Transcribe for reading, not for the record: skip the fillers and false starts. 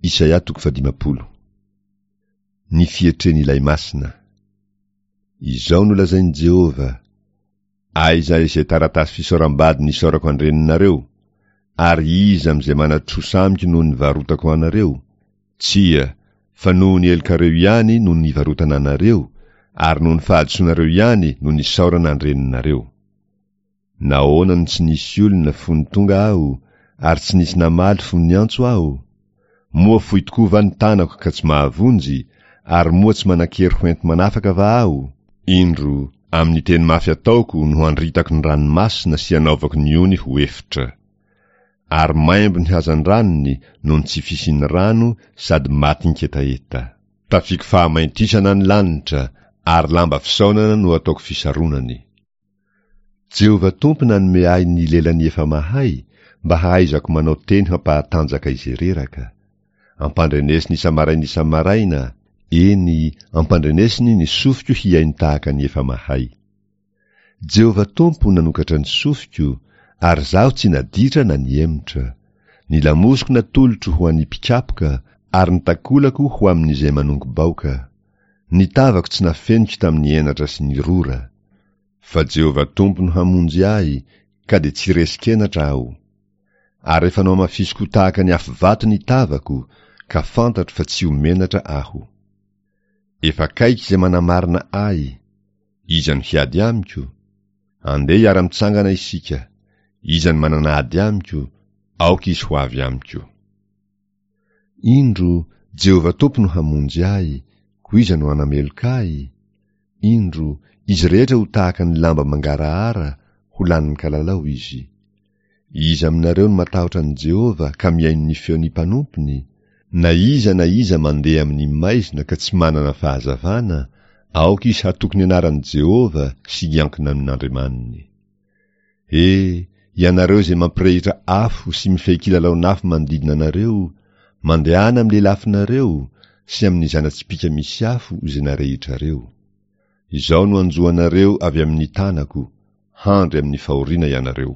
Isaia toko fahadimampolo. Ny fietren'ilay Masina. Izao no lazain'i Jehovah, Aiza izay taratasy fisaoram-bady nisaorako an-dreninareo? Ary iza amin'izay manan-trosa amiko no nivarotako anareo? Tsia, fa noho ny helokareo ihany no nivarotana anareo, ary noho ny fahadisoanareo ihany no nisaorana an-dreninareo. Nahoana no tsy nisy olona fony tonga aho, ary tsy nisy namaly fony niantso aho? Moa fohy tokoa va ny tanako ka tsy mahavonjy, ary moa tsy manan-kery ho enti-manafaka va aho? Indro, amin'ny teny mafy ataoko no handritako ny ranomasina sy hanaovako ny ony ho efitra. Ary maimbo ny hazandranony noho ny tsy fisian'ny rano sady matin-ketaheta. Tafiako fahamaintisana ny lanitra, ary lamba fisaonana no ataoko fisaronany. Jehovah Tompo nanome ahy ny lelan'ny efa mahay, mba hahaizako manao teny hampahatanjaka izay reraka. Ampandrenesiny isa-maraina isa-maraina, eny, ampandrenesiny ny sofiko hihaino tahaka ny efa mahay. Jehovah Tompo nanokatra ny sofiko, ary izaho tsy naditra na nihemotra. Ny lamosiko natolotro ho an'ny mpikapoka, ary ny takolako ho amin'izay manongo-baoka. Ny tavako tsy nafeniko tamin'ny henatra sy ny rora. Fa Jehovah Tompo no hamonjy ahy, ka dia tsy resin-kenatra aho. Ary efa nohamafisiko ho tahaka ny afovato ny tavako, ka fantatro fa tsy ho menatra aho. Efa akaiky izay manamarina ahy. Iza no hiady amiko? Andeha hiara-mitsangana isika. Iza no manana ady amiko? Aoka izy ho avy amiko. Indro, Jehovah Tompo no hamonjy ahy, koa iza no hanameloka ahy? Indro, izy rehetra ho tahaka ny lamba mangarahara, ho lanin'ny kalalao izy. Iza aminareo no matahotra an'i Jehovah ka mihaino ny feon'ny mpanompony? Na iza na iza mandeha amin'ny maizina ka tsy manana fahazavana, aoka izy hatoky ny anaran'i Jehovah sy hiankina amin'Andriamaniny. He, ianareo izay mampirehitra afo sy mifehy kilalaon'afo manodidina anareo, mandehana amin'ny lelafonareo sy amin'ny zana-tsipìka misy afo izay narehitrareo. Izao no hanjo anareo avy amin'ny tanako, handry amin'ny fahoriana ianareo.